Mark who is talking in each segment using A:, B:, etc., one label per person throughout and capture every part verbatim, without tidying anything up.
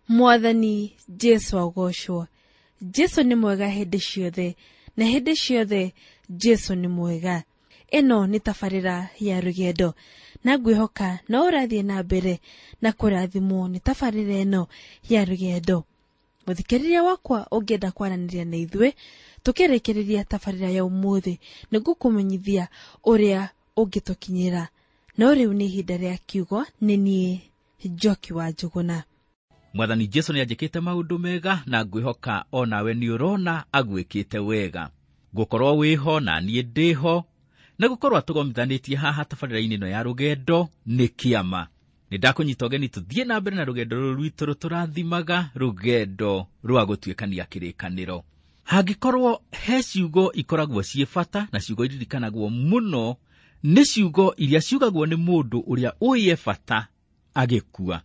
A: Mwathani Jesu agocwo. Jesu nĩ mwega hĩndĩ ciothe, na hĩndĩ ciothe Jesu nĩ mwega. Ĩno nĩ tabarĩra ya rũgendo, na ngwĩhoka no ũrathiĩ na mbere na kũrathimwo nĩ tabarĩra ĩno ya rũgendo. Mũthikĩrĩria wakwa ũngĩenda kwaranĩria na ithuĩ tũkĩrĩkĩrĩria tabarĩra ya ũmũthĩ, nĩngũkũmenyithia ũrĩa ũngĩtũkinyĩra. No rĩu nĩ ihinda rĩa kiugo, nĩ niĩ Njoki wa Njũgũna.
B: Mwathani Jesu nĩ anjĩkĩte maũndũ mega na ngwĩhoka o nawe nĩ ũrona agwĩkĩte wega. Ngũkorwo wĩho na niĩ ndĩho, na gũkorwo atũgomithanĩtie haha tabarĩra-inĩ ĩno ya rũgendo nĩ kĩama. Nĩ ndakũnyita ũgeni tũthiĩ na mbere na rũgendo rũrũ rwitũ rũtũrathimaga, rũgendo rwa gũtuĩkania kĩrĩkanĩro. Hangĩkorwo he ciugo ikoragwo ciĩ bata na ciugo iririkanagwo mũno, nĩ ciugo iria ciugagwo nĩ mũndũ ũrĩa ũĩ e bata agĩkua.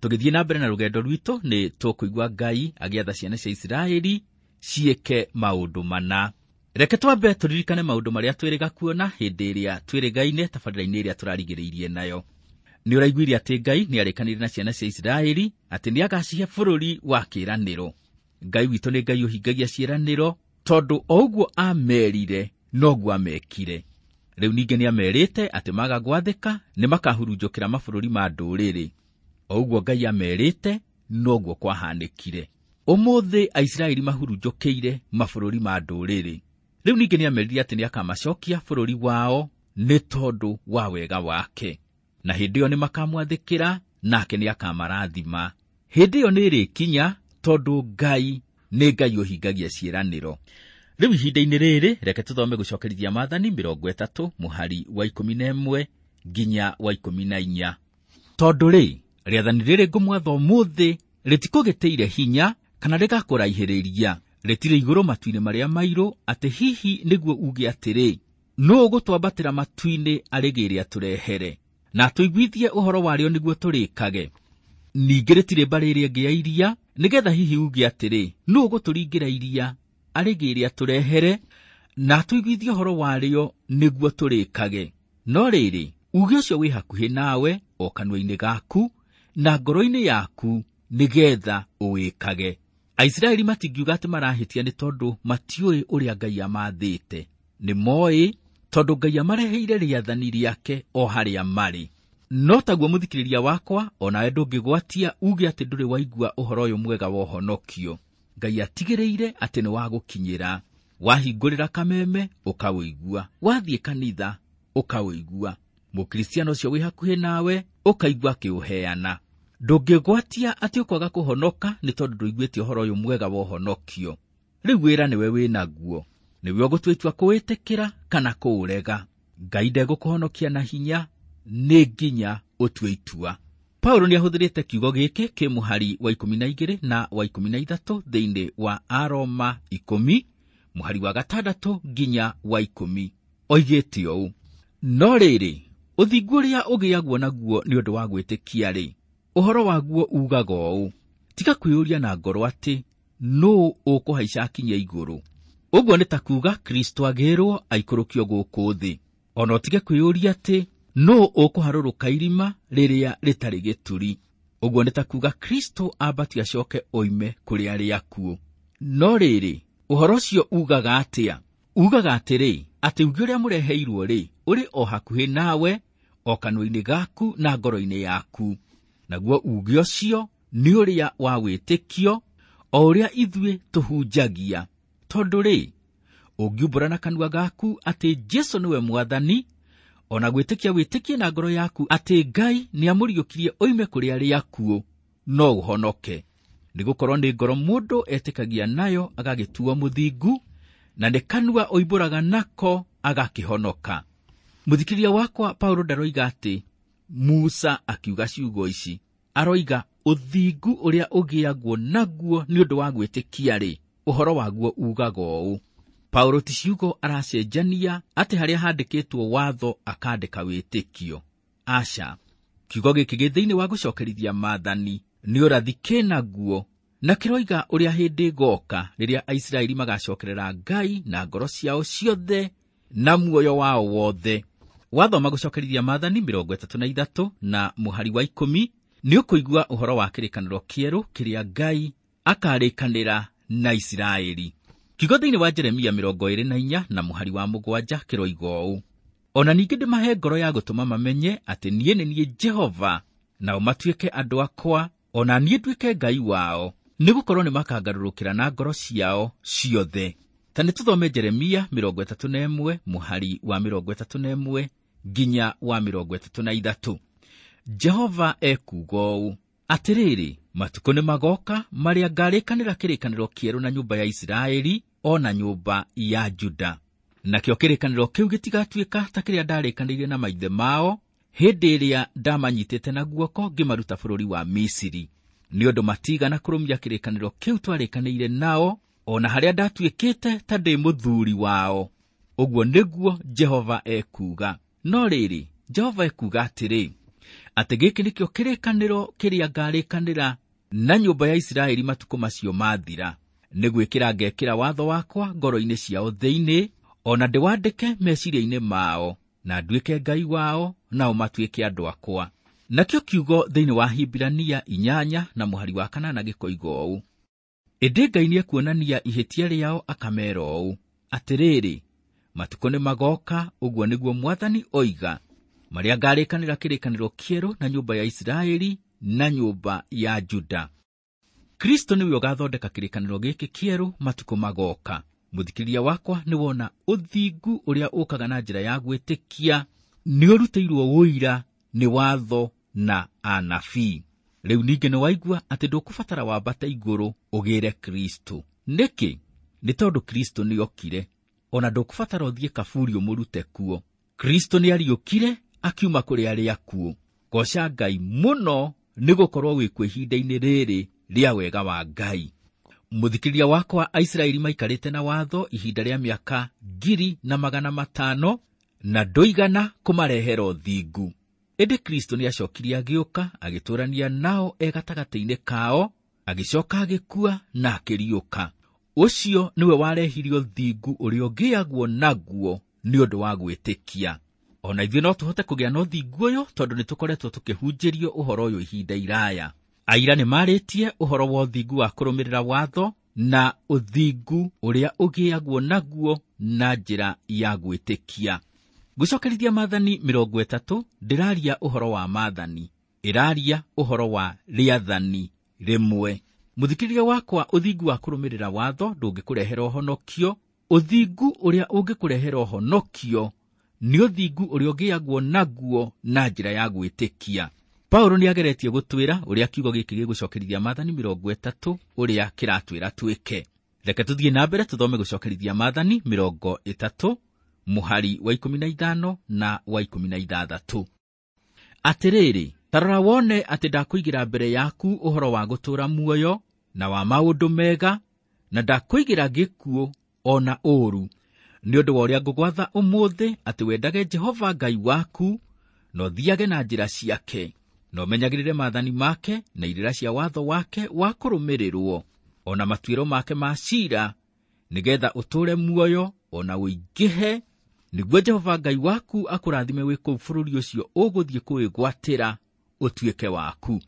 B: Tũgĩthiĩ na mbere na rũgendo rwitũ nĩ tũkũigua Ngai agĩatha ciana cia Isiraeli ciĩke maũndũ mana. Reke twambe tũririkane maũndũ marĩa twĩrĩga kuona hĩndĩ ĩrĩa twĩrĩgaine tabarĩra-inĩ ĩrĩa tũrarigĩrĩirie nayo. Nĩ ũraiguire atĩ Ngai nĩ arĩkanĩire na ciana cia Isiraeli atĩ nĩ agacihe bũrũri wa kĩĩranĩro. Ngai witũ nĩ Ngai ũhingagia ciĩranĩro, tondũ o ũguo amerire noguo amekire. Rĩu ningĩ nĩ amerite atĩ maga gwathĩka nĩ makahurunjũkĩra mabũrũri ma ndũrĩrĩ. O ũguo Ngai amerite noguo kwahanĩkire. Ũmũthĩ Aisiraeli mahurunjũkĩire mabũrũri ma ndũrĩrĩ. Rĩu ningĩ nĩ amerire atĩ nĩ akamacokia bũrũri wao nĩ tondũ wa wega wake. Na hĩndĩ ĩyo nĩ makamwathĩkĩra nake nĩ akamarathima. Hĩndĩ ĩyo nĩ ĩrĩkinya tondũ Ngai nĩ Ngai ũhingagia ciĩranĩro. Rĩu ihinda-inĩ rĩrĩ reke tũthome gũcokerithia maathani mĩrongo ĩtatũ mũhari wa ikũmi na ĩmwe nginya wa ikũmi na inya. Tondũ rĩ, rĩathani rĩrĩ ngũmwatha ũmũthĩ rĩtikũgĩtĩire hinya kana rĩgakũraihĩrĩria, rĩtirĩ igũrũ matu-inĩ marĩa mairũ, atĩ hihi nĩguo uge atĩrĩ, nũũ ũgũtwambatĩra matu-inĩ arĩgĩre atũrehere, na atũiguithie ũhoro warĩo nĩguo tũrĩkage. Ningĩ rĩtirĩ mbarĩ ĩrĩa ĩngĩ ya iria, nĩgetha hihi uge atĩrĩ, nũũ ũgũtũringĩra iria arĩgĩre atũrehere, na atũiguithie ũhoro warĩo nĩguo tũrĩkage. No rĩrĩ, uge ũcio wĩ hakuhĩ nawe, o kanua-inĩ gaku na ngoro-inĩ yaku, nĩgetha ũwĩkage. Aisiraeli matingiuga atĩ marahĩtia nĩ tondũ matiũĩ ũrĩa Ngai amathĩte. Nĩ moĩ tondũ Ngai amareheire rĩathani rĩake o harĩa marĩ. No taguo mũthikĩrĩria wakwa, o nawe ndũngĩgwatia uge atĩ ndũrĩ waigua ũhoro ũyũ mwega wa ũhonokio. Ngai atigĩrĩire atĩ nĩ wagũkinyĩra. Wahingũrĩra kameme ũkawĩigua, wathiĩ kanitha ũkawĩigua, mũkristiano ũcio wĩ hakuhĩ nawe ũkaigua akĩũheana. Ndũngĩgwatia atĩ ũkwaga kũhonoka nĩ tondũ ndũiguĩte ũhoro ũyũ mwega wa ũhonokio. Rĩu wĩra nĩwe wĩnaguo, nĩwe ũgũtua itua kũwĩtĩkĩra kana kũũrega. Ngai ndegũkũhonokia na hinya, nĩ nginya ũtue itua. Paulo nĩ ahũthĩrĩte kiugo gĩkĩ kĩ mũhari wa ikũmi na igĩrĩ na wa ikũmi na ithatũ thĩinĩ wa Aroma ikũmi mũhari wa gatandatũ nginya wa ikũmi. Oigĩte ũũ, no rĩrĩ, ũthingu ũrĩa ũgĩagwo naguo nĩ ũndũ wa gwĩtĩkia rĩ, ũhoro waguo ugaga ũũ, tiga kwĩyũria na ngoro atĩ nũũ ũkũhaica akinye igũrũ. Ũguo nĩ ta kuuga Kristo agĩrwo aikũrũkio gũkũ thĩ. Ona ũtige kwĩyũria atĩ nũũ ũkũharũrũka irima rĩrĩa rĩtarĩ gĩturi. Ũguo nĩ ta kuuga Kristo ambatio acoke oime kũrĩ arĩa akuũ. No rĩrĩ, ũhoro ũcio ugaga atĩa? Ugaga atĩrĩ, atĩ uge ũrĩa mũreheirwo rĩ, ũrĩ o hakuhĩ nawe, o kanua-inĩ gaku na ngoro-inĩ yaku. Naguo uge ũcio nĩ ũrĩa wa wĩtĩkio, o ũrĩa ithuĩ tũhunjagia. Tondũ rĩ, ũngiumbũra na kanua gaku atĩ Jesu nĩwe Mwathani, ona gwĩtĩkia wĩtĩkie na ngoro yaku atĩ Ngai nĩamũriũkirie oime kũrĩ arĩa akuũ, no ũhonoke. Nĩgũkorwo nĩ ngoro mũndũ etĩkagia nayo agagĩtuo mũthingu, na nĩ kanua oimbũraga nako agakĩhonoka. Mũthikĩrĩria wakwa, Paulo ndaroiga atĩ Musa akiuga ciugo ici. Aroiga ũthingu ũrĩa ũgĩagwo naguo nĩ ũndũ wa gwĩtĩkia rĩ, ũhoro waguo ugaga ũũ. Paulo ti ciugo aracenjania atĩ harĩa handĩkĩtwo watho akandĩka wĩtĩkio. Aca, kiugo gĩkĩ gĩ thĩinĩ wa gũcokerithia maathani nĩ ũrathi kĩnaguo, na kĩroiga ũrĩa hĩndĩ ĩgoka rĩrĩa Aisiraeli magacokerera Ngai na ngoro ciao ciothe na muoyo wao wothe. Wathoma gũcokerithia maathani mĩrongo ĩtatũ na ithatũ na mũhari wa ikũmi, Nĩ ũkũigua ũhoro wa kĩrĩkanĩro kĩerũ kĩrĩa Ngai akarĩkanĩra na Isiraeli. Kiugo thĩinĩ wa Jeremia mĩrongo ĩrĩ na inya na mũhari wa mũgwanja kĩroiga ũũ: Ona ningĩ ndĩmahe ngoro ya gũtũma mamenye atĩ niĩ nĩ niĩ Jehova, nao matuĩke andũ akwa, ona niĩ nduĩke Ngai wao, nĩgũkorwo nĩmakangarũrũkĩra na ngoro ciao ciothe. Ta nĩtũthome Jeremia mĩrongo ĩtatũ na ĩmwe mũhari wa mĩrongo ĩtatũ na ĩmwe nginya wa mĩrongo ĩtatũ na ithatũ. Jehova ekuuga ũũ: Atĩrĩrĩ, matukũ nĩmagoka marĩa ngarĩkanĩra kĩrĩkanĩro kĩerũ na nyũmba ya Isiraeli o na nyũmba ya Juda. Nakĩo kĩrĩkanĩro kĩu gĩtigatuĩka ta kĩrĩa ndarĩkanĩire na maithe mao hĩndĩ ĩrĩa ndamanyitĩte na guoko ngĩmaruta bũrũri wa Misiri, nĩ ũndũ matigana kũrũmia kĩrĩkanĩro kĩu twarĩkanĩire nao, o na harĩa ndatuĩkĩte ta ndĩ mũthuuri wao. Ũguo nĩguo Jehova ekuuga. No rĩrĩ, Jehova ekuuga atĩrĩ, atĩ gĩkĩ nĩkĩo kĩrĩkanĩro kĩrĩa ngarĩkanĩra na nyũmba ya Isiraeli matukũ macio mathira, nĩ gwĩkĩra ngekĩra watho wakwa ngoro-inĩ ciao thĩinĩ, o na ndĩwandĩke meciria-inĩ mao, na nduĩke Ngai wao, nao matuĩke andũ akwa. Nakĩo kiugo thĩinĩ wa Hibirania inyanya na mũhari wa kanana gĩkoiga ũũ: Ĩndĩ Ngai nĩekuonania ihĩtia rĩao akameera ũũ: Atĩrĩrĩ, matukũ nĩmagoka, ũguo nĩguo Mwathani oiga, marĩa ngarĩkanĩra kĩrĩkanĩro kĩerũ na nyũmba ya Isiraeli na nyũmba ya Juda. Kristo nĩwe ũgathondeka kĩrĩkanĩro gĩkĩ kĩerũ matukũ magoka. Mũthikĩrĩria wakwa, nĩwona ũthingu ũrĩa ũkaga na njĩra ya gwĩtĩkia nĩũrutĩirwo ũira nĩ watho na anabii. Rĩu ningĩ nĩwaigua atĩ ndũkũbatara wambate igũrũ ũgĩre Kristo. Nĩkĩ? Nĩ tondũ Kristo nĩokire. Ona ndũkũbatara ũthiĩ kaburi ũmũrute kuo. Kristo nĩariũkire akiuma kũrĩ arĩa akuũ. Goca Ngai mũno nĩgũkorwo wĩ kuo ihinda-inĩ rĩrĩ rĩa wega wa Ngai. Mũthikĩrĩria wakwa, Aisiraeli maikarĩte na watho ihinda rĩa mĩaka ngiri na magana matano, na ndũigana kũmarehera ũthingu. Ĩndĩ Kristo nĩacokirie agĩũka agĩtũũrania nao e gatagatĩ-inĩ kao, agĩcoka agĩkua na akĩriũka. Ũcio nĩwe warehirie ũthingu ũrĩa ũgĩagwo naguo nĩ ũndũ wa gwĩtĩkia. Ona ithuĩ no tũhote kũgĩa na ũthingu ũyũ tondũ nĩtũkoretwo tũkĩhunjĩrio ũhoro ũyũ ihinda iraya. Aira nĩmarĩtie ũhoro wa ũthingu wa kũrũmĩrĩra watho na ũthingu ũrĩa ũgĩagwo naguo na njĩra ya gwĩtĩkia. Gũcokerithia maathani mĩrongo ĩtatũ ndĩraria ũhoro wa maathani, ĩraria ũhoro wa rĩathani rĩmwe. Mũthikĩrĩria wakwa, ũthingu wa kũrũmĩrĩra watho ndũngĩkũrehera ũhonokio. Ũthingu ũrĩa ũngĩkũrehera ũhonokio nĩ ũthingu ũrĩa ũgĩagwo naguo na njĩra ya gwĩtĩkia. Paulo nĩageretie gũtwĩra ũrĩa kiugo gĩkĩ gĩgũcokerithia maathani mĩrongo ĩtatũ ũrĩa kĩratwĩra twĩke. Reke tũthiĩ na mbere tũthome gũcokerithia maathani mĩrongo ĩtatũ mũhari wa ikũmi na ithano na wa ikũmi na ithathatũ. Atĩrĩrĩ, ta rora wone atĩ ndakũigĩra mbere yaku ũhoro wa gũtũũra muoyo na wa maũndũ mega, na ndakũigĩra gĩkuũ o na ũũru, nĩ ũndũ wa ũrĩa ngũgwatha ũmũthĩ atĩ wendage Jehova Ngai waku, na ũthiage na njĩra ciake, na ũmenyagĩrĩre maathani make na irĩra cia watho wake wa kũrũmĩrĩrwo, o na matuĩro make ma ciira, nĩgeetha ũtũũre muoyo o na ũingĩhe, nĩguo Jehova Ngai waku akũrathime wĩ kũu bũrũri ũcio ũgũthiĩ kũwĩgwatĩra ũtuĩke waku.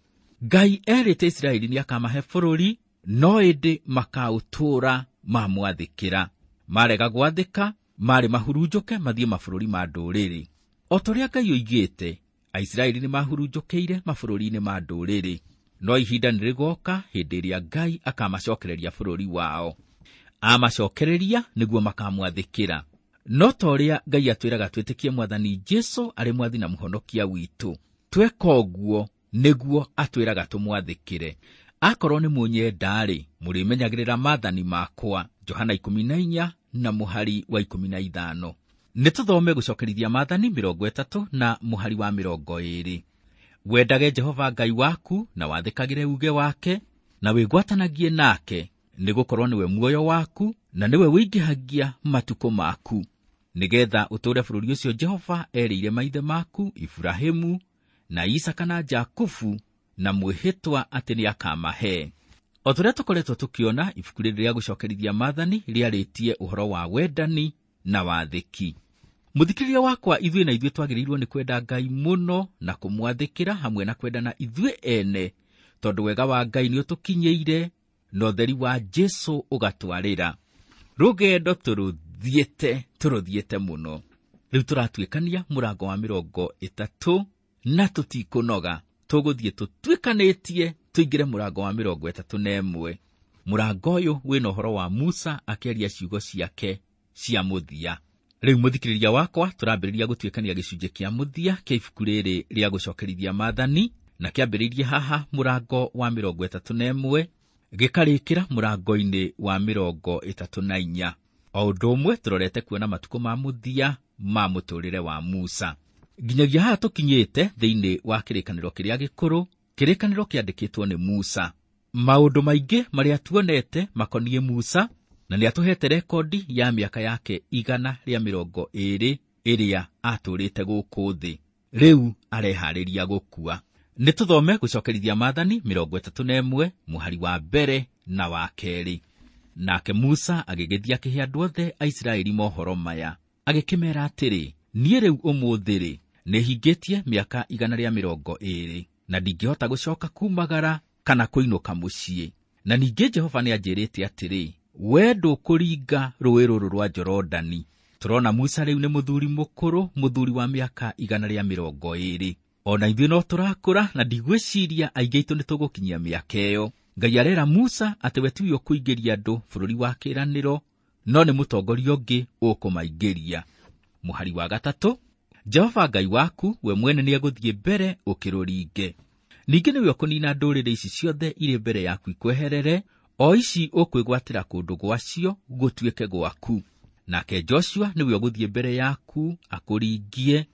B: Ngai erĩte Isiraeli nĩakamahe bũrũri, no ĩndĩ makaũtũũra mamwathĩkĩra. Marega gwathĩka, marĩ mahurunjũke mathiĩ mabũrũri ma ndũrĩrĩ. O ta ũrĩa Ngai oigĩte, Aisiraeli nĩmahurunjũkĩire mabũrũri-inĩ ma ndũrĩrĩ, no ihinda nĩrĩgoka hĩndĩ ĩrĩa Ngai akamacokereria bũrũri wao. Amacokereria nĩguo makamwathĩkĩra. No ta ũrĩa Ngai atwĩraga twĩtĩkie Mwathani Jesũ arĩ Mwathi na Mũhonokia witũ, tweka ũguo nĩguo atwĩraga tũmwathĩkĩre. Akorwo nĩ mũnyenda-rĩ, mũrĩmenyagĩrĩra maathani makwa. Johana ikũmi na inya na mũhari wa ikũmi na ithano. Nĩtũthome gũcokerithia maathani mĩrongo ĩtatũ na mũhari wa mĩrongo ĩĩrĩ. Wendage Jehova Ngai waku na wathĩkagĩre uuge wake na wĩgwatanagie nake, nĩgũkorwo nĩwe muoyo waku na nĩwe wĩingĩhagia matukũ maku, nĩgeetha ũtũũre bũrũri ũcio Jehova erĩire maithe maku Iburahĩmu na Isaka na Jakubu na mwĩhĩtwa atĩ nĩakamahe. O ta ũrĩa tũkoretwo tũkĩona, ibuku rĩrĩ rĩa gũcokerithia maathani rĩarĩtie ũhoro wa wendani na wathĩki. Mũthikĩrĩria wakwa, ithuĩ na ithuĩ twagĩrĩirwo nĩ kwenda Ngai mũno na kũmwathĩkĩra hamwe na kwendana ithuĩ ene, tondũ wega wa Ngai nĩ ũtũkinyĩire na ũtheri wa Jesũ ũgatwarĩra. Rũgendo tũrũthiĩte, tũrũthiĩte mũno. Rĩu tũratuĩkania mũrango wa mĩrongo ĩtatũ na tũtikũnoga. Tũgũthiĩ tũtuĩkanĩtie tũingĩre mũrango wa mĩrongo ĩtatũ na ĩmwe. Mũrango ũyũ wĩna ũhoro wa Musa akĩaria ciugo ciake cia mũthia. Rĩu mũthikĩrĩria wakwa, tũrambĩrĩria gũtuĩkania gĩcunjĩ kĩa mũthia kĩa ibuku rĩrĩ rĩa gũcokerithia maathani, na kĩambĩrĩirie haha mũrango wa mĩrongo ĩtatũ na ĩmwe gĩkarĩkĩra mũrango-inĩ wa mĩrongo ĩtatũ na inya. O ũndũ ũmwe tũrorete kuona matukũ ma mũthia ma mũtũrĩre wa Musa. Nginyagia haha tũkinyĩte thĩinĩ wa kĩrĩkanĩro kĩrĩa gĩkũrũ, kĩrĩkanĩro kĩandĩkĩtwo nĩ Musa. Maũndũ maingĩ marĩa tuonete makoniĩ Musa, na nĩatũhete rekondi ya mĩaka yake igana rĩa mĩrongo ĩĩrĩ ĩrĩa atũrĩte gũkũ thĩ. Rĩu areharĩria gũkua. Nĩ tũthome gũcokerithia maathani mĩrongo ĩtatũ na ĩmwe mũhari wa mbere na wa kerĩ. Nake Musa agĩgĩthiĩ akĩhe andũ othe a Isiraeli mohoro maya, agĩkĩmeera atĩrĩ, niĩ rĩu ũmũthĩ-rĩ, nĩhingĩtie mĩaka igana rĩa mĩrongo ĩĩrĩ, na ndingĩhota gũcoka kumagara kana kũinũka mũciĩ. Na ningĩ Jehova nĩanjĩrĩte atĩrĩ, we ndũkũringa rũũĩ rũrũ rwa Jorodani. Tũrona Musa rĩu nĩ mũthuri mũkũrũ, mũthuri wa mĩaka igana rĩa mĩrongo ĩĩrĩ. Ona ithuĩ no tũrakũra, na ndigwĩciria aingĩ aitũ nĩ tũgũkinyia mĩaka ĩyo. Ngai arera Musa atĩ we tiwe ũkũingĩria andũ bũrũri wa kĩĩranĩro, no nĩ mũtongoria ũngĩ ũkũmaingĩria. Mũhari wa gatatũ, Jehova Ngai waku we mwene nĩegũthiĩ mbere ũkĩrũringe. Ningĩ nĩwe ũkũnina ndũrĩrĩ ici ciothe irĩ mbere yaku ikweherere, o ici ũkwĩgwatĩra kũndũ gwacio gũtuĩke gwaku. Nake Joshua nĩwe ũgũthiĩ mbere yaku akũringie,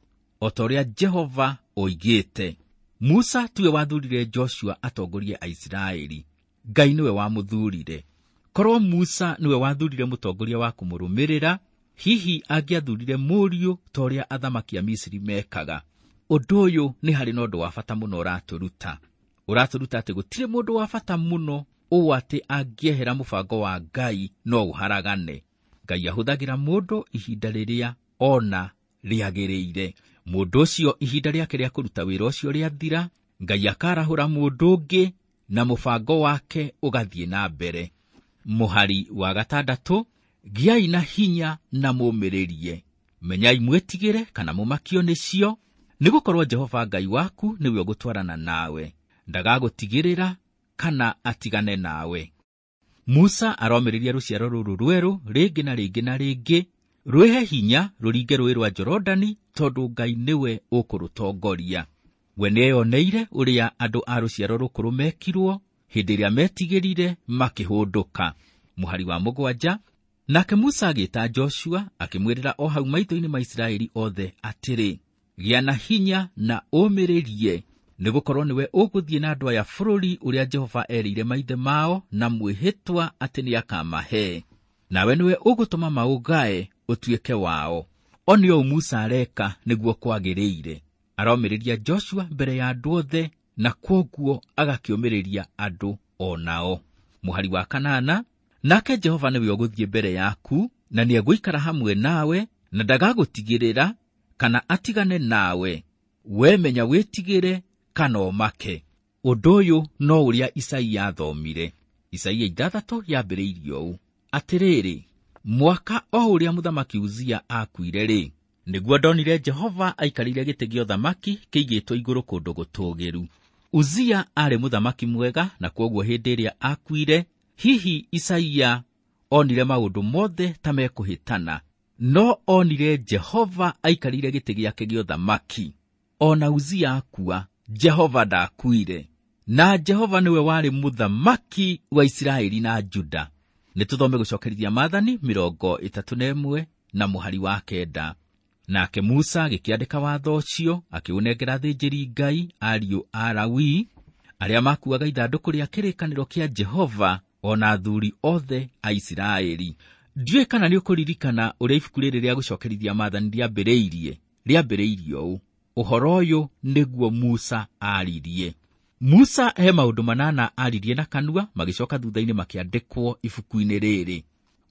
B: o ta ũrĩa Jehova oigĩte. Musa tiwe wathurire Joshua atongorie Aisiraeli, Ngai nĩwe wamũthurire. Korwo Musa nĩwe wathurire mũtongoria wa kũmũrũmĩrĩra, hihi angĩathurire mũriũ ta ũrĩa athamaki a Misiri mekaga. Ũndũ ũyũ nĩ harĩ na ũndũ wa bata mũno ũratũruta. Ũratũruta atĩ gũtirĩ mũndũ wa bata mũno ũũ atĩ angĩehera mũbango wa Ngai no ũharagane. Ngai ahũthagĩra mũndũ ihinda rĩrĩa ona rĩagĩrĩire. Mũndũ ũcio ihinda rĩake rĩa kũruta wĩra ũcio rĩathira, Ngai akarahũra mũndũ ũngĩ na mũbango wake ũgathiĩ na mbere. Mũhari wa gatandatũ, gĩai na hinya na mũmĩrĩrie. Menyai mwĩtigĩre kana mũmakio nĩcio, nĩgũkorwo Jehova Ngai waku nĩwe ũgũtwarana nawe, ndagagũtigĩrĩra kana atigane nawe. Musa aromĩrĩria rũciaro rũrũ rwerũ rĩngĩ na rĩngĩ na rĩngĩ, rwĩhe hinya rũringe rũũĩ rwa Jorodani, tondũ Ngai nĩwe ũkũrũtongoria. We nĩeyoneire ũrĩa andũ a rũciaro rũkũrũ mekirwo hĩndĩ ĩrĩa metigĩrire makĩhũndũka. Mũhari wa mũgwanja, nake Musa agĩĩta Joshua akĩmwĩrĩra o hau maitho-inĩ ma Isiraeli othe atĩrĩ, gĩa na hinya na ũmĩrĩrie, nĩgũkorwo nĩwe ũgũthiĩ na andũ aya bũrũri ũrĩa Jehova erĩire maithe mao na mwĩhĩtwa atĩ nĩakamahe. Nawe nĩwe ũgũtũma maũgae ũtuĩke wao. O nĩ ũũ Musa areka nĩguo kwagĩrĩire. Aromĩrĩria Joshua mbere ya andũ othe, na kwoguo agakĩũmĩrĩria andũ o nao. Mũhari wa kanana, nake Jehova nĩwe ũgũthiĩ mbere yaku, na nĩegũikara hamwe nawe, na ndagagũtigĩrĩra kana atigane nawe. We menya wĩtigĩre kana ũmake. Ũndũ ũyũ no ũrĩa Isaia athomire. Isaia ithathatũ yambĩrĩirie ũũ, atĩrĩrĩ, mwaka o ũrĩa mũthamaki Uzia akuire-rĩ, nĩguo ndonire Jehova aikarĩire gĩtĩ gĩa ũthamaki kĩigĩtwo igũrũ kũndũ gũtũũgĩru. Uzia aarĩ mũthamaki mwega, na kwoguo hĩndĩ ĩrĩa akuire, hihi Isaia onire maũndũ mothe ta mekũhĩtana, no onire Jehova aikarĩire gĩtĩ gĩake gĩa ũthamaki. Ona Uzia akua, Jehova ndakuire, na Jehova nĩwe warĩ mũthamaki wa Isiraeli na Juda. Nĩ tũthome gũcokerithia maathani mĩrongo ĩtatũ na ĩmwe na mũhari wa kenda. Nake Musa agĩkĩandĩka watho ũcio, akĩũnengera athĩnjĩri Ngai ariũ a Lawi arĩa makuaga ithandũkũ rĩa kĩrĩkanĩro kĩa Jehova, ona athuri othe a Isiraeli. Ndiũĩ kana nĩũkũririkana ũrĩa ibuku rĩrĩ rĩa gũcokerithia maathani rĩambĩrĩirie. Rĩambĩrĩirie ũũ, ũhoro ũyũ nĩguo Musa aaririe. Musa he maũndũ manana aaririe na kanua, magĩcoka thutha-inĩ makĩandĩkwo ibuku-inĩ rĩrĩ.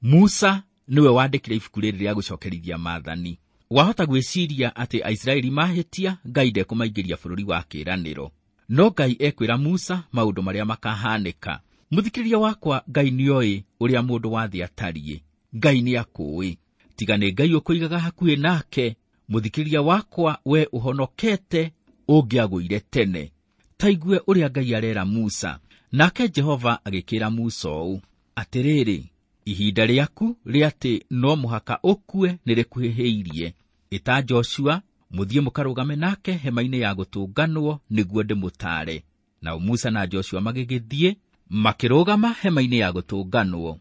B: Musa nĩwe wandĩkire ibuku rĩrĩ rĩa gũcokerithia maathani. Wahota gwĩciria atĩ Aisiraeli mahĩtia Ngai ndekũmaingĩria bũrũri wa kĩĩranĩro. No Ngai ekwĩra Musa maũndũ marĩa makahanĩka. Mũthikĩrĩria wakwa, Ngai nĩoĩ ũrĩa mũndũ wa thĩ atariĩ. Ngai nĩakũĩ. Tiga nĩ Ngai ũkũigaga hakuhĩ nake, mũthikĩrĩria wakwa, we ũhonokete ũngĩagũire tene. Taigue ũrĩa Ngai arera Musa. Nake Jehova agĩkĩra Musa ũũ, atĩrĩrĩ, ihinda rĩaku rĩa atĩ no mũhaka ũkue nĩrĩkuhĩhĩirie. Ĩta Joshua, mũthiĩ mũkarũgame nake hema-inĩ ya gũtũnganwo nĩguo ndĩmũtaare. Nao Musa na Joshua magĩgĩthiĩ makĩrũgama hema-inĩ ya gũtũnganwo.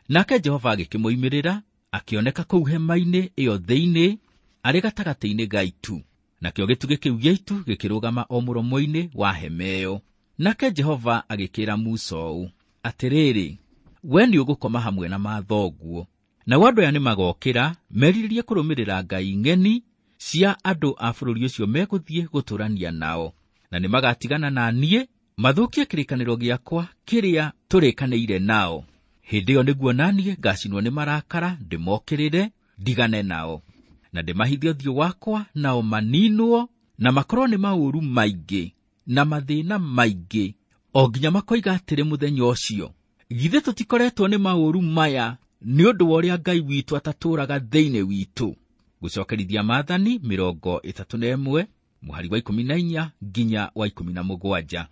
B: Nake Jehova agĩkĩmoimĩrĩra, akĩoneka kũu hema-inĩ ĩyo thĩinĩ, arĩ gatagatĩ-inĩ ga itu. Nakĩo gĩtugĩ kĩu gĩa itu gĩkĩrũgama o mũromo-inĩ wa hema ĩyo. Nake Jehova agĩkĩra Musa ũũ, atĩrĩrĩ, we nĩũgũkoma hamwe na mathoguo. Nao andũ aya nĩmagokĩra merirĩrie kũrũmĩrĩra ngai ng'eni cia andũ a bũrũri ũcio megũthiĩ gũtũũrania nao, na nĩmagatigana na niĩ mathũkie kĩrĩkanĩro gĩakwa kĩrĩa tũrĩkanĩire nao. Hĩndĩ ĩyo nĩguo na niĩ ngacinwo nĩ marakara ndĩmokĩrĩre ndigane nao, na ndĩmahithe ũthiũ wakwa nao maninwo, na makorwo nĩ maũru maingĩ na mathĩna maingĩ, o nginya makoiga atĩrĩ mũthenya ũcio, githĩ tũtikoretwo nĩ maũru maya nĩ ũndũ wa ũrĩa Ngai witũ atatũũraga thĩinĩ witũ. Gũcokerithia Maathani mĩrongo ĩtatũ na ĩmwe mũhari wa ikũmi na inya nginya wa ikũmi na mũgwanja.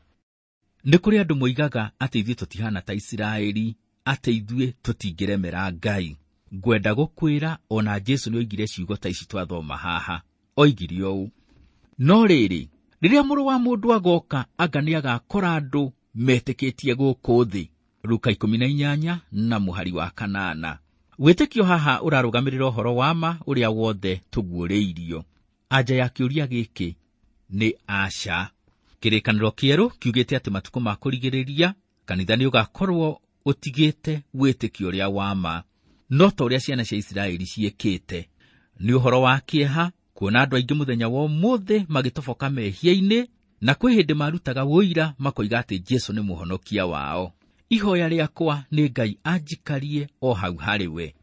B: Nĩ kũrĩ andũ moigaga atĩ ithuĩ tũtihana ta Isiraeli, atĩ ithuĩ tũtingĩremera Ngai. Ngwenda gũkwĩra ona Jesũ nĩoigire ciugo ta ici twathoma haha. Oigire ũũ, no rĩrĩ, rĩrĩa mũrũ wa mũndũ agoka, anga nĩagakora andũ metĩkĩtie gũkũ thĩ. Luka ikũmi na inyanya na mũhari wa kanana. Wĩtĩkio haha ũrarũgamĩrĩra ũhoro wa ma ũrĩa wothe tũguũrĩirio. Anja ya kĩũria gĩkĩ nĩ aca. Kĩrĩkanĩro kĩerũ kiugĩte atĩ matukũ ma kũrigĩrĩria kanitha nĩũgakorwo ũtigĩte wĩtĩkio ũrĩa wa ma, no ta ũrĩa ciana cia Isiraeli ciĩkĩte. Nĩ ũhoro wa kĩeha kuona andũ aingĩ mũthenya wa ũmũthĩ magĩtoboka mehia-inĩ, na kwĩ hĩndĩ marutaga ũira makoiga atĩ Jesũ nĩ mũhonokia wao. Ihoya rĩakwa nĩ Ngai anjikarie o hau harĩ we.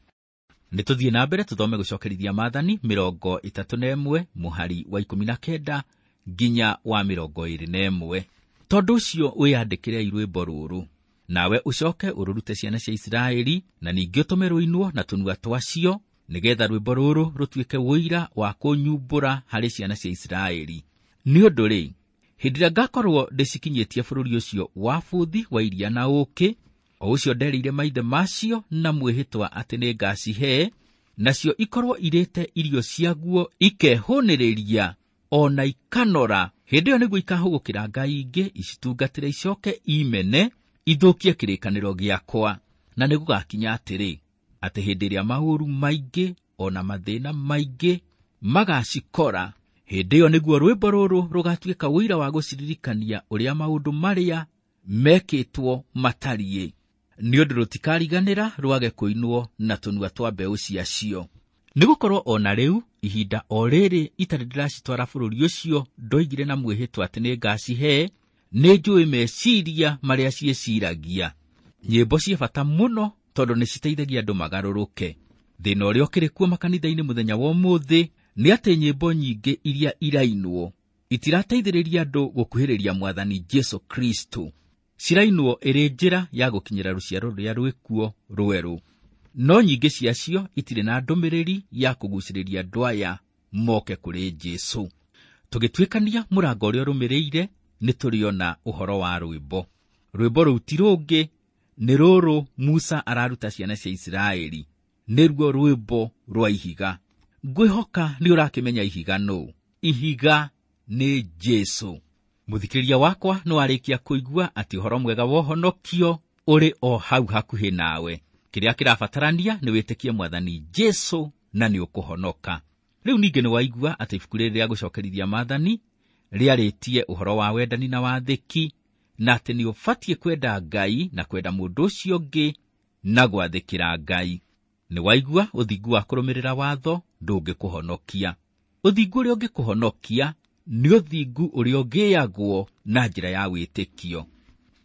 B: Nĩ tũthiĩ na mbere tũthome gũcokerithia Maathani mĩrongo ĩtatũ na ĩmwe mũhari wa ikũmi na kenda nginya wa mĩrongo ĩĩrĩ na ĩmwe. Tondũ ũcio wĩyandĩkĩrei rwĩmbo rũrũ, nawe ũcoke ũrũrute ciana cia Isiraeli, na ningĩ ũtũme rũinwo na tũnua twacio, nĩgetha rwĩmbo rũrũ rũtuĩke ũira wa kũnyumbũra harĩ ciana cia Isiraeli. Nĩ ũndũ rĩ, hĩndĩ ĩrĩa ngakorwo ndĩcikinyĩtie bũrũri ũcio wa bũthi wa iria na ũũkĩ, o ũcio nderĩire maithe macio na mwĩhĩtwa atĩ nĩngacihe, nacio ikorwo irĩte irio ciaguo ikehũnĩrĩria o na ikanora, hĩndĩ ĩyo nĩguo ikahũgũkĩra ngai ingĩ icitungatĩre icoke imene ithũkie kĩrĩkanĩro gĩakwa. Na nĩgũgakinya atĩrĩ, atĩ hĩndĩ ĩrĩa maũru maingĩ o na mathĩna maingĩ magacikora, hĩndĩ ĩyo nĩguo rwĩmbo rũrũ rũgatuĩka ũira wa gũciririkania ũrĩa maũndũ marĩa mekĩtwo matariĩ, nĩ ũndũ rũtikariganĩra rwage kũinwo na tũnua twa mbeũ ciacio. Nĩgũkorwo o na rĩu ihinda o rĩrĩ itarĩ ndĩracitwara bũrũri ũcio ndoigire na mwĩhĩtwa atĩ nĩngacihe, nĩnjũĩ meciria marĩa ciĩciragia. Nyĩmbo ciĩ bata mũno tondũ nĩciteithagia andũ magarũrũke. Thĩna ũrĩa ũkĩrĩ kuo makanitha-inĩ mũthenya wa ũmũthĩ nĩ atĩ nyĩmbo nyingĩ iria irainwo itirateithĩrĩria andũ gũkuhĩrĩria Mwathani Jesũ Kristo. Cirainwo ĩrĩ njĩra ya gũkinyĩra rũciaro rũrĩa rwĩkuo rwerũ, no nyingĩ ciacio itirĩ na ndũmĩrĩri ya kũgucĩrĩria andũ aya moke kũrĩ Jesũ. Tũgĩtuĩkania mũrango ũrĩa ũrũmĩrĩire, nĩtũrĩona ũhoro wa rwĩmbo. Rwĩmbo rũu ti rũngĩ, nĩ rũrũ Musa araruta ciana cia Isiraeli, nĩruo rwĩmbo rwa ihiga. Ngwĩhoka nĩ ũrakĩmenya ihiga nũ. Ihiga nĩ Jesũ. Mũthikĩrĩria wakwa nĩwarĩkia kũigua atĩ ũhoro mwega wa ũhonokio ũrĩ o hau hakuhĩ nawe. Kĩrĩa kĩrabatarania nĩ wĩtĩkie Mwathani Jesũ na nĩ ũkũhonoka. Rĩu ningĩ nĩwaigua atĩ ibuku rĩrĩ rĩa gũcokerithia Maathani rĩarĩtie ũhoro wa wendani na wathĩki, na atĩ nĩ ũbatiĩ kwenda Ngai na kwenda mũndũ ũcio ũngĩ na gwathĩkĩra Ngai. Nĩwaigua ũthingu wa kũrũmĩrĩra watho ndũngĩkũhonokia. Ũthingu ũrĩa ũngĩkũhonokia nĩ ũthingu ũrĩa ũgĩagwo na njĩra ya wĩtĩkio.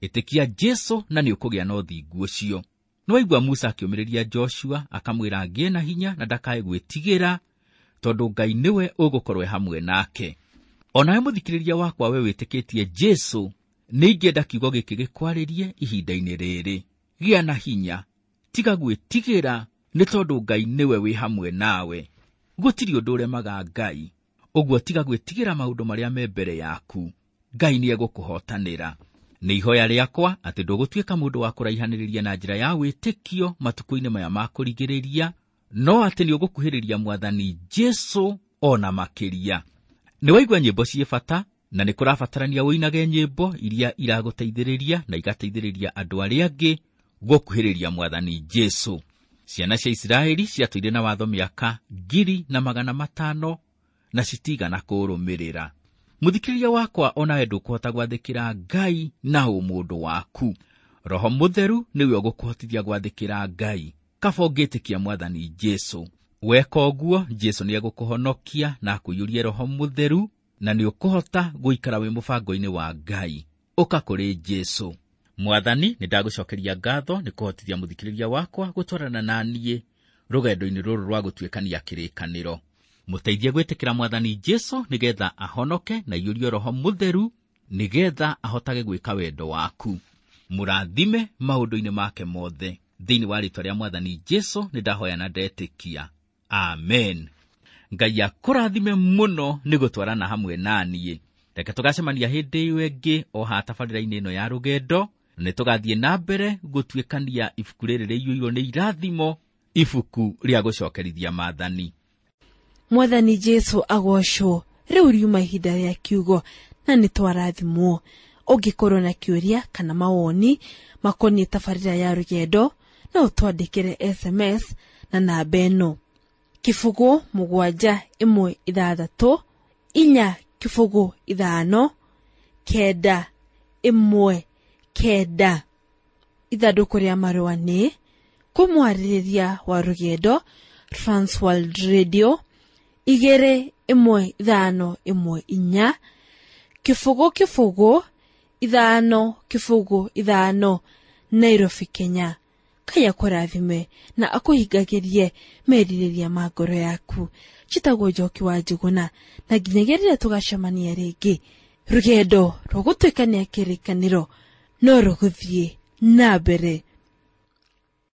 B: Ĩtĩkia Jesũ na nĩ ũkũgĩa na ũthingu ũcio. Nĩwaigua Musa akĩũmĩrĩria Joshua akamwĩra agĩe na hinya na ndakae gwĩtigĩra, tondũ Ngai nĩwe ũgũkorwo hamwe nake. Onawe mũthikĩrĩria wakwa we wĩtĩkĩtie Jesũ, nĩ ingĩenda kiugo gĩkĩ gĩkwarĩrie ihinda-inĩ rĩrĩ. Gĩa na hinya, tiga gwĩtigĩra, nĩ tondũ Ngai nĩwe wĩ hamwe nawe. Gũtirĩ ũndũ ũremaga Ngai, ũguo tiga gwĩtigĩra maũndũ marĩa me mbere yaku. Ngai nĩ egũkũhotanĩra. Nĩ ihoya rĩakwa atĩ ndũgũtuĩka mũndũ wa kũraihanĩrĩria na njĩra ya wĩtĩkio matukũ-inĩ maya ma kũrigĩrĩria, no atĩ nĩ ũgũkuhĩrĩria Mwathani Jesũ ona makĩria. Nĩ waigua nyĩmbo ciĩ bata, na nĩ kũrabatarania ũinage nyĩmbo iria iragũteithĩrĩria na igateithĩrĩria andũ arĩa angĩ gũkuhĩrĩria Mwathani Jesũ. Ciana cia Isiraeli ciatũire na watho mĩaka ngiri na magana matano na citigana kũrũmĩrĩra. Mũthikĩrĩria wakwa, onawe ndũkũhota gwathĩkĩra Ngai na ũmũndũ waku. Roho Mũtheru nĩwe ũgũkũhotithia gwathĩkĩra Ngai. Kaba ũngĩtĩkia Mwathani Jesũ. Weka ũguo, Jesũ nĩegũkũhonokia na akũiyũrie Roho Mũtheru, na nĩũkũhota gũikara wĩ mũbango-inĩ wa Ngai. Ũka kũrĩ Jesũ. Mwathani, nĩndagũcokeria ngatho nĩ kũhotithia mũthikĩrĩria wakwa gũtwarana na niĩ rũgendo-inĩ rũrũ rwa gũtuĩkania kĩrĩkanĩro. Mũteithie gwĩtĩkĩra Mwathani Jesũ nĩgetha ahonoke na aiyũrio Roho Mũtheru, nĩgetha ahotage gwĩka wendo waku. Mũrathime maũndũ-inĩ make mothe. Thĩinĩ wa rĩĩtwa rĩa Mwathani Jesũ nĩndahoya na ndetĩkia. Amen. Ngai akũrathime mũno nĩ gũtwarana hamwe na niĩ. Reke tũgacemania hĩndĩ ĩyo ĩngĩ o haha tabarĩra-inĩ ĩno ya rũgendo. Nĩ tũgathiĩ na mbere gũtuĩkania ibuku rĩrĩ rĩiyũirwo nĩ irathimo, ibuku rĩa gũcokerithia maathani.
A: Mwathani Jesũ agocwo. Rĩu riuma ihinda rĩa kiugo na nĩ twarathimwo. Ũngĩkorwo na kĩũria kana mawoni makoniĩ tabarĩra ya rũgendo, no ũtwandĩkĩre S M S na namba ĩno: kĩbũgũ mũgwanja ĩmwe ithathatũ inya kĩbũgũ ithano kenda ĩmwe kenda. Ithandũkũ rĩa marũa nĩ kũmwarĩrĩria wa rũgendo, Transworld Radio igĩrĩ ĩmwe ithano ĩmwe inya kĩbũgũ kĩbũgũ ithano kĩbũgũ ithano, Nairobi, Kenya. Ngai akũrathime na akũhingagĩrie merirĩria ma ngoro yaku. Njĩtagwo Njoki wa Njũgũna, na nginyagia rĩrĩa tũgacemania rĩngĩ, rũgendo rwa gũtuĩkania kĩrĩkanĩro no rũgũthiĩ na mbere.